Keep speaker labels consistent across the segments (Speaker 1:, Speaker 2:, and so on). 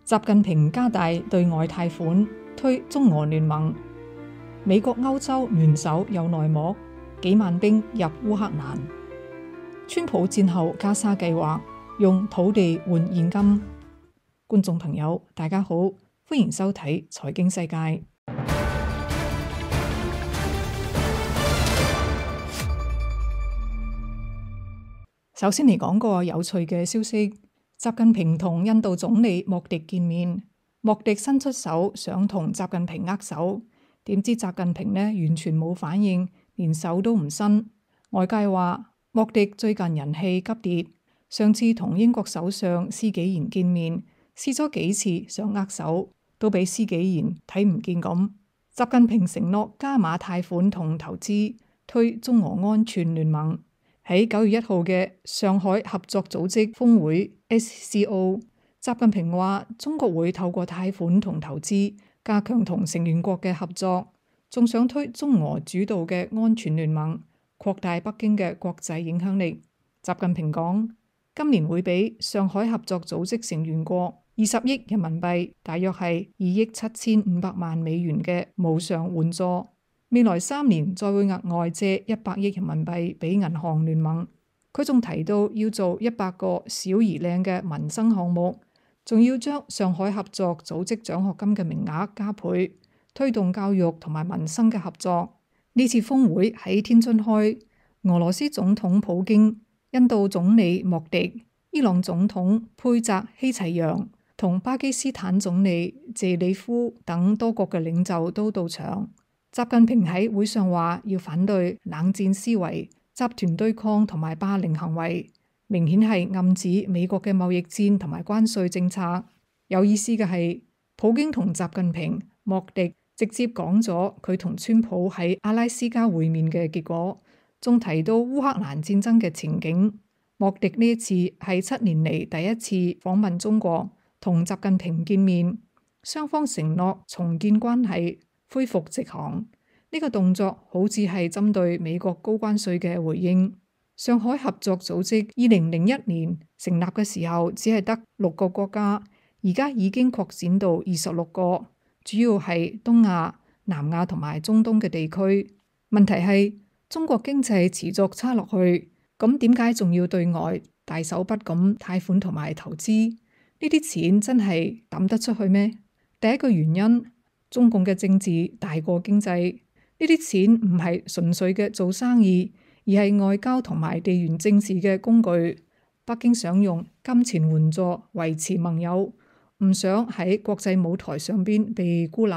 Speaker 1: 習近平加大對外貸款，推中俄聯盟。美國歐洲聯手有內幕，幾萬兵入烏克蘭。川普戰後加沙計劃用土地換現金。觀眾朋友，大家好，歡迎收睇財經世界。首先嚟講個有趣嘅消息。習近平同印度總理莫迪見面，莫迪伸出手想同習近平握手，點知習近平呢完全冇反應，連手都唔伸。外界話莫迪最近人氣急跌，上次同英國首相施紀賢見面，試咗幾次想握手，都俾施紀賢睇唔見咁。習近平承諾加碼貸款同投資，推中俄安全聯盟。喺9月1號嘅上海合作組織峰會 SCO， 習近平話中國會透過貸款同投資加強同成員國嘅合作，仲想推中俄主導嘅安全聯盟，擴大北京嘅國際影響力。習近平講，今年會俾上海合作組織成員國20億人民幣，大約係2億7500萬美元嘅無償援助。未來3年再會額外借100億人民幣俾銀行聯盟。佢仲提到要做100個小而靚嘅民生項目，仲要將上海合作組織獎學金嘅名額加倍，推動教育同埋民生嘅合作。呢次峰會喺天津開，俄羅斯總統普京、印度總理莫迪、伊朗總統佩澤希齊揚同巴基斯坦總理謝里夫等多國嘅領袖都到場。習近平喺會上話要反對冷戰思維、集團對抗同埋霸凌行為，明顯係暗指美國嘅貿易戰同埋關稅政策。有意思嘅係，普京同習近平、莫迪直接講咗佢同川普喺阿拉斯加會面嘅結果，仲提到烏克蘭戰爭嘅情景。莫迪呢一次係7年嚟第一次訪問中國，同習近平見面，雙方承諾重建關係，恢復直航。呢個動作好似係針對美國高關稅嘅回應。上海合作組織2001年成立嘅時候只係得6個國家，而家已經擴展到26個，主要係東亞、南亞同埋中東嘅地區。問題係中國經濟持續差落去，咁點解仲要對外大手筆咁貸款同埋投資？呢啲錢真係抌得出去咩？第一個原因，中共嘅政治大過經濟，呢啲錢唔係純粹嘅做生意，而係外交同埋地緣政治嘅工具。北京想用金錢援助維持盟友，唔想喺國際舞台上邊被孤立。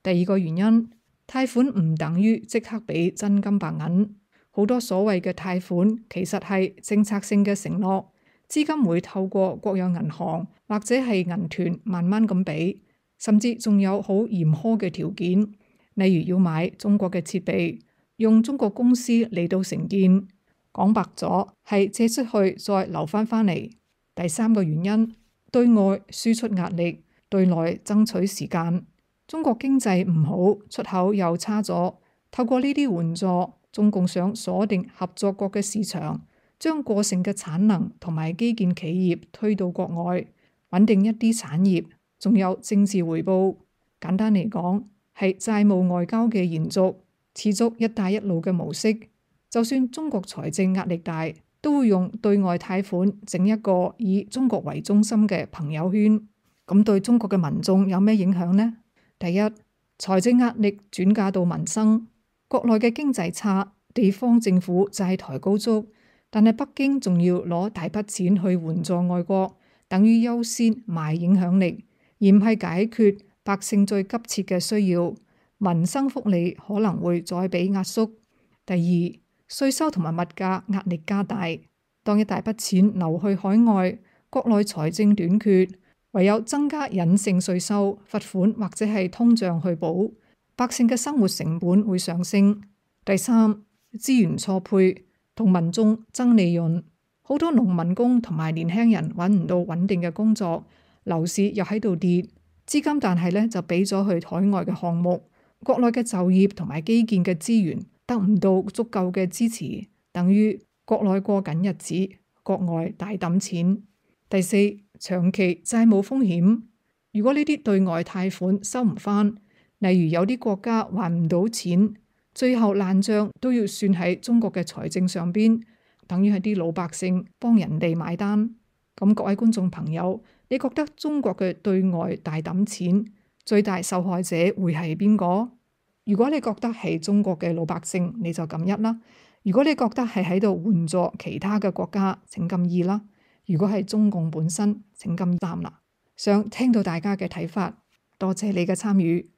Speaker 1: 第二個原因，貸款唔等於即刻俾真金白銀，好多所謂嘅貸款其實係政策性嘅承諾，資金會透過國有銀行或者係銀團慢慢咁俾。甚至仲有好嚴苛嘅條件，例如要買中國嘅設備，用中國公司嚟到承建。講白咗係借出去再留翻嚟。第三個原因，對外輸出壓力，對內爭取時間。中國經濟唔好，出口又差咗，透過呢啲援助，中共想鎖定合作國嘅市場，將過剩嘅產能同埋基建企業推到國外，穩定一啲產業。仲有政治回報，簡單嚟講係債務外交嘅延續，持續一帶一路嘅模式。就算中國財政壓力大，都會用對外貸款整一個以中國為中心嘅朋友圈。咁對中國嘅民眾有咩影響呢？第一，財政壓力轉嫁到民生，國內嘅經濟差，地方政府債台高築，但係北京仲要攞大筆錢去援助外國，等於優先賣影響力，而唔係解決百姓最急切嘅需要，民生福利可能會再被壓縮。第二，稅收同埋物價壓力加大，當一大筆錢流去海外，國內財政短缺，唯有增加隱性稅收、罰款或者係通脹去補，百姓嘅生活成本會上升。第三，資源錯配同民眾爭利潤，好多農民工同埋年輕人揾唔到穩定嘅工作。樓市又喺度跌，資金但係呢就俾咗去海外嘅項目，國內嘅就業同埋基建嘅資源得唔到足夠嘅支持，等於國內過緊日子，國外大抌錢。第四，長期債務風險，如果呢啲對外貸款收唔返，例如有啲國家還唔到錢，最後爛賬都要算喺中國嘅財政上邊，等於係啲老百姓幫人哋買單。咁各位觀眾朋友，你覺得中國嘅對外大揼錢，最大受害者會係邊個？如果你覺得係中國嘅老百姓，你就撳一啦；如果你覺得係喺度援助其他嘅國家，請撳二啦；如果係中共本身，請撳三啦。想聽到大家嘅睇法，多謝你嘅參與。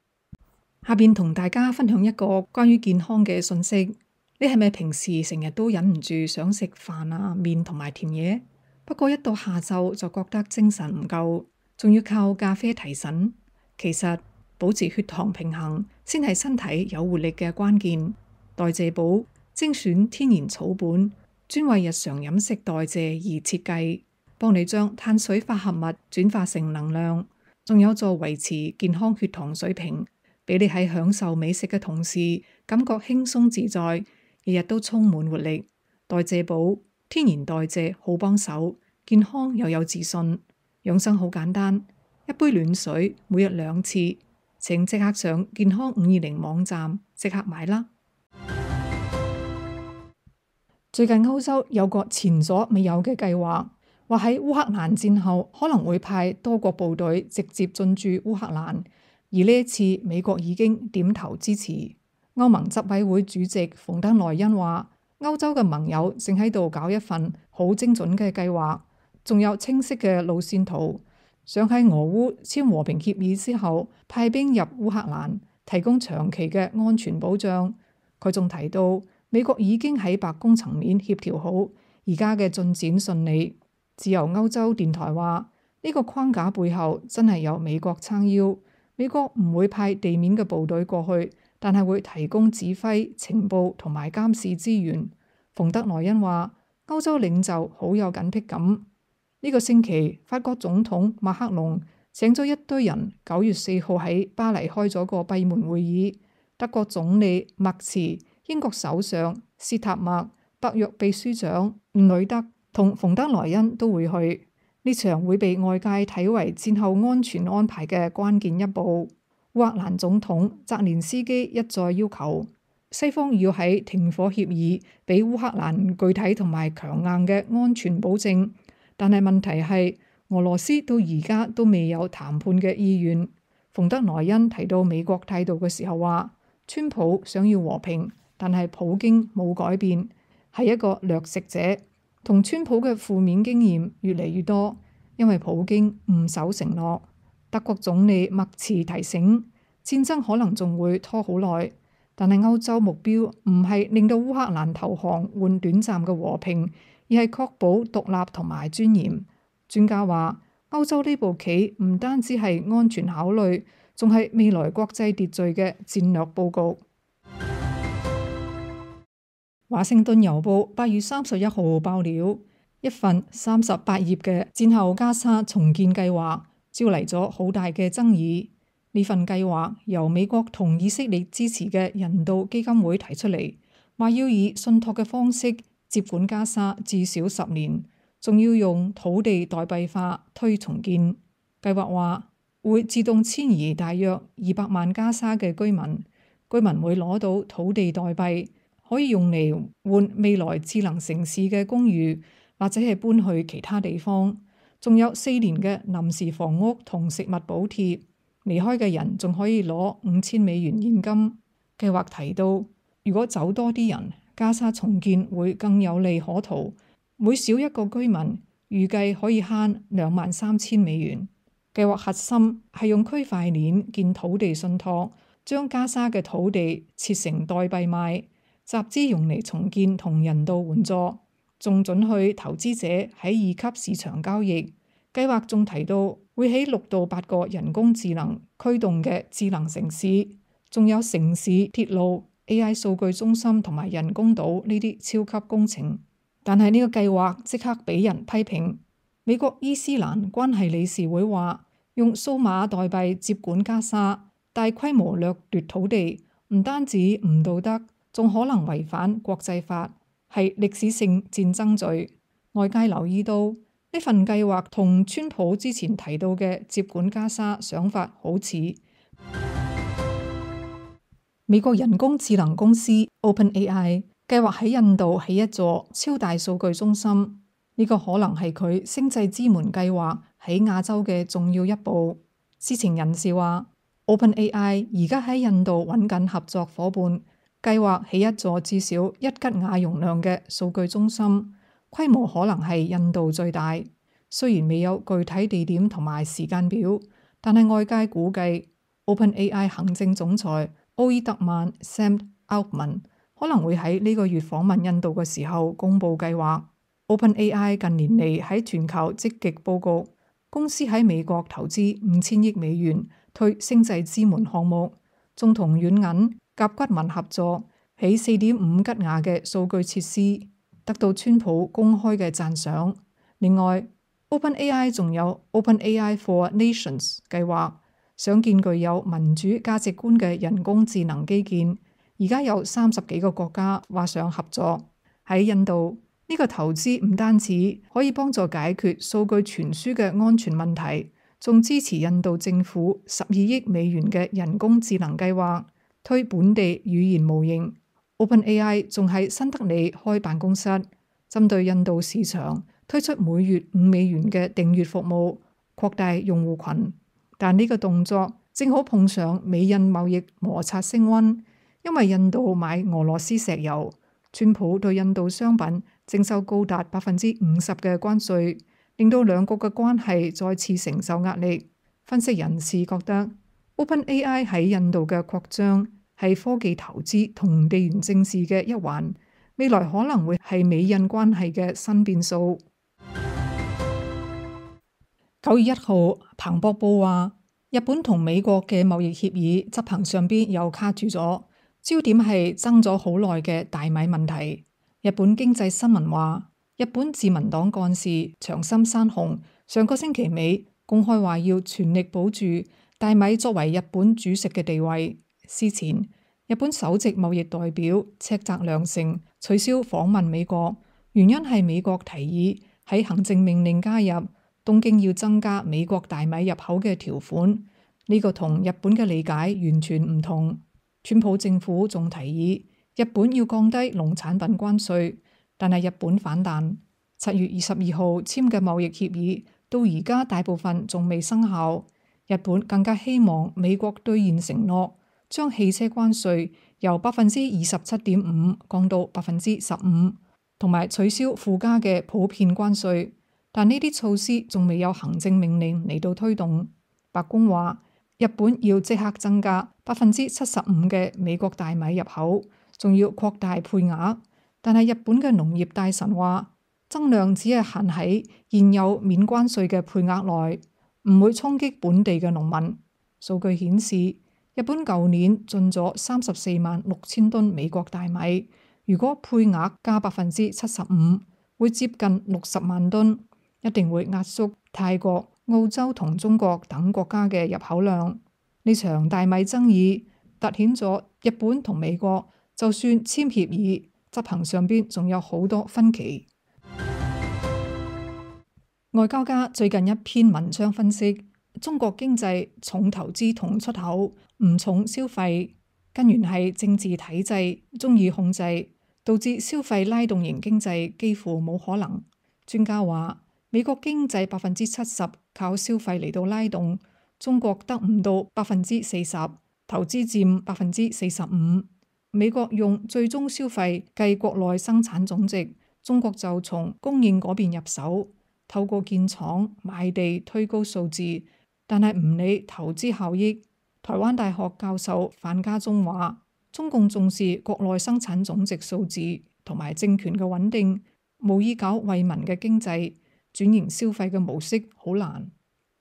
Speaker 1: 下邊同大家分享一個關於健康嘅信息。你係咪平時成日都忍唔住想食飯啊、麵同埋甜嘢？不過一到下晝就覺得精神唔夠，仲要靠咖啡提神。其實保持血糖平衡先係身體有活力嘅關鍵。代謝寶精選天然草本，專為日常飲食代謝而設計，幫你將碳水化合物轉化成能量，仲有助維持健康血糖水平，俾你喺享受美食嘅同時感覺輕鬆自在，日日都充滿活力。代謝寶天然代謝好幫手，健康又有自信。養生好簡單，一杯暖水每日2次。請即刻上健康520網站即刻買啦！最近歐洲有個前所未有嘅計劃，話喺烏克蘭戰後可能會派多國部隊直接進駐烏克蘭，而呢一次美國已經點頭支持。歐盟執委會主席馮德萊恩話，歐洲嘅盟友正喺度搞一份好精準嘅計劃，仲有清晰嘅路線圖，想喺俄烏簽和平協議之後派兵入烏克蘭，提供長期嘅安全保障。佢仲提到，美國已經喺白宮層面協調好，而家嘅進展順利。自由歐洲電台話，呢個框架背後真係有美國撐腰。美國唔會派地面嘅部隊過去，但係會提供指揮、情報同埋監視資源。馮德萊恩話，歐洲領袖好有緊迫感。呢個星期，法國總統馬克龍請咗一堆人9月4號喺巴黎開咗個閉門會議。德國總理默茨、英國首相斯塔默、北約秘書長吳里德同馮德萊恩都會去。呢場會被外界睇為戰後安全安排嘅關鍵一步。烏克蘭總統澤連斯基一再要求西方要喺停火協議俾烏克蘭具體同埋強硬嘅安全保證，但係問題係俄羅斯到而家都未有談判嘅意願。馮德萊恩提到美國態度嘅時候話，川普想要和平，但係普京冇改變，係一個掠食者。同川普嘅負面經驗越嚟越多，因為普京唔守承諾。德國總理默茨提醒，戰爭可能仲會拖好耐，但係歐洲目標唔係令到烏克蘭投降換短暫嘅和平，而係確保獨立同埋尊嚴。專家話，歐洲呢步棋唔單止係安全考慮，仲係未來國際秩序嘅戰略佈局。華盛頓郵報8月31號爆料，一份38頁嘅戰後加沙重建計劃招嚟咗好大嘅爭議。呢份計劃由美國同以色列支持嘅人道基金會提出嚟，話要以信託嘅方式接管加沙至少10年，仲要用土地代幣化推重建。計劃話會自動遷移大約200萬加沙嘅居民，居民會攞到土地代幣，可以用嚟換未來智能城市嘅公寓，或者係搬去其他地方。仲有4年嘅臨時房屋同食物補貼，離開嘅人仲可以攞5000美元現金。計劃提到，如果走多啲人，加沙重建會更有利可圖，每少一個居民預計可以慳23000美元。計劃核心係用區塊鏈建土地信託，將加沙嘅土地切成代幣賣，集資用嚟重建同人道援助，仲准許投資者喺2級市場交易。計劃仲提到會起6到8個人工智能驅動嘅智能城市，仲有城市鐵路、AI 數據中心同埋人工島呢啲超級工程。但係呢個計劃即刻俾人批評。美國伊斯蘭關係理事會話，用數碼代幣接管加沙，大規模掠奪土地，唔單止唔道德，仲可能違反國際法，係歷史性戰爭罪。外界留意到呢份計劃同川普之前提到嘅接管加沙想法好似。美國人工智能公司 OpenAI 計劃喺印度起一座超大數據中心，呢個可能係佢星際之門計劃喺亞洲嘅重要一步。知情人士話 OpenAI 而家喺印度揾緊合作夥伴，計劃起一座至少1吉瓦容量嘅數據中心，規模可能係印度最大。雖然未有具體地點同埋時間表，但係外界估計 OpenAI 行政總裁奧爾特曼 Sam Altman 可能會喺呢個月訪問印度嘅時候公佈計劃。OpenAI 近年嚟喺全球積極佈局，公司喺美國投資5000億美元推星際之門項目，仲同軟銀、甲骨文合作起4.5吉瓦嘅數據設施，得到川普公開嘅讚賞。另外 OpenAI 仲有 OpenAI for Nations 計劃，想建具有民主價值觀嘅人工智能基建。而家有30幾個國家話想合作。喺印度，呢個投資唔單止可以幫助解決數據傳輸嘅安全問題，仲支持印度政府12億美元嘅人工智能計劃，推本地語言模型。OpenAI 仲喺新德里開辦公室，針對印度市場推出每月5美元嘅訂閱服務，擴大用戶群。但呢個動作正好碰上美印貿易摩擦升溫，因為印度買俄羅斯石油，川普對印度商品徵收高達50%嘅關稅，令到兩國嘅關係再次承受壓力。分析人士覺得 OpenAI 喺印度嘅擴張係科技投資同地緣政治嘅一環，未來可能會係美印關係嘅新變數。9月1號，彭博報話，日本同美國嘅貿易協議執行上邊又卡住咗，焦點係爭咗好耐嘅大米問題。日本經濟新聞話，日本自民黨幹事長森山雄上個星期尾公開話要全力保住大米作為日本主食嘅地位。事前，日本首席貿易代表赤澤良成取消訪問美國，原因係美國提議喺行政命令加入東京要增加美國大米入口嘅條款，呢個同日本嘅理解完全唔同。川普政府仲提議日本要降低農產品關稅，但係日本反彈。7月22號簽嘅貿易協議到而家大部分仲未生效。日本更加希望美國兌現承諾，將汽車關稅由27.5%降到15%，同埋取消附加嘅普遍關稅。但呢啲措施仲未有行政命令嚟到推動。白宮話日本要即刻增加75%嘅美國大米入口，仲要擴大配額。但係日本嘅農業大臣話，增量只係限喺現有免關稅嘅配額內，唔會衝擊本地嘅農民。數據顯示，日本舊年進咗346000噸美國大米，如果配額加75%，會接近60萬噸。一定會壓縮泰國、澳洲同中國等國家嘅入口量。呢場大米爭議凸顯咗日本同美國就算簽協議，執行上邊仲有好多分歧。外交家最近一篇文章分析，中國經濟重投資同出口，唔重消費，根源係政治體制中意控制，導致消費拉動型經濟幾乎冇可能。專家話，美國經濟70%靠消費嚟到拉動，中國得唔到40%，投資佔45%。美國用最終消費計國內生產總值，中國就從供應嗰邊入手，透過建廠買地推高數字，但係唔理投資效益。台灣大學教授范家忠話，中共重視國內生產總值數字同埋政權嘅穩定，無意搞惠民嘅經濟。轉型消費嘅模式好難。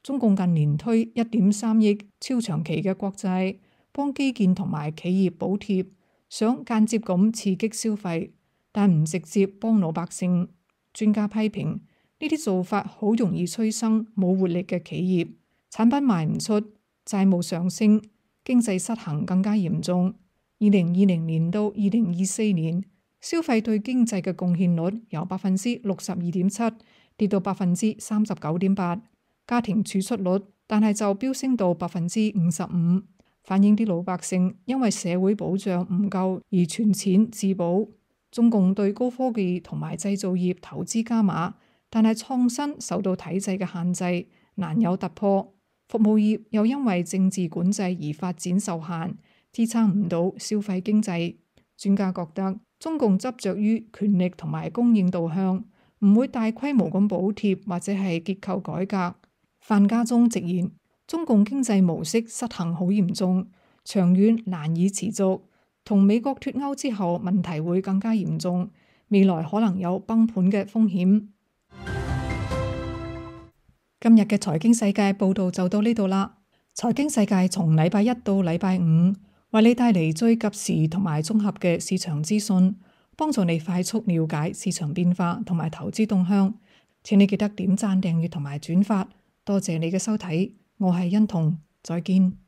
Speaker 1: 中共近年推1.3億超長期嘅國債，幫基建同埋企業補貼，想間接咁刺激消費，但唔直接幫老百姓。專家批評呢啲做法好容易催生冇活力嘅企業，產品賣唔出，債務上升，經濟失衡更加嚴重。2020年到2024年，消費對經濟嘅貢獻率由62.7%跌到39.8%，家庭儲蓄率但係就飆升到55%，反映啲老百姓因為社會保障唔夠而存錢自保。中共對高科技同埋製造業投資加碼，但係創新受到體制嘅限制，難有突破。服務業又因為政治管制而發展受限，支撐唔到消費經濟。專家覺得中共執着於權力同埋供應導向，唔會大規模咁補貼或者係結構改革。范家忠直言，中共經濟模式失衡好嚴重，長遠難以持續，同美國脫歐之後問題會更加嚴重，未來可能有崩盤嘅風險。今日嘅財經世界報道就到呢度啦。財經世界從禮拜一到禮拜五，為你帶嚟最及時同埋綜合嘅市場資訊，幫助你快速了解市場變化同埋投資動向。請你記得點讚、訂閱同埋轉發。多謝你嘅收睇，我係欣彤，再見。